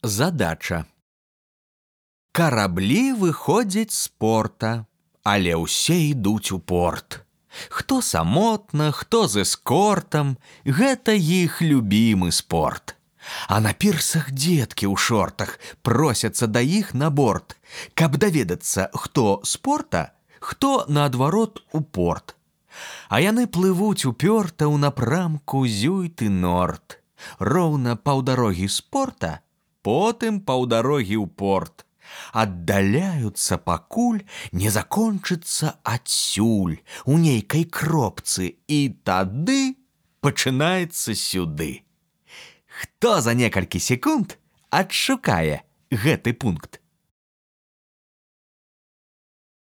Задача. Караблі выходзяць з порта, але ўсе ідуць у порт. Хто самотна, хто з эскортам, гэта іх любімы спорт. А на пірсах дзеткі ў шортах просяцца да іх на борт, каб даведацца, хто з порта, хто наадварот у порт. А яны плывуць упёрта ў напрамку зюйт-норд. Роўна паўдарогі з порта, потым паўдарогі ў порт. Аддаляюцца, пакуль не закончыцца адсюль у нейкай кропцы, і тады пачынаецца сюды. Хто за некалькі секунд адшукае гэты пункт?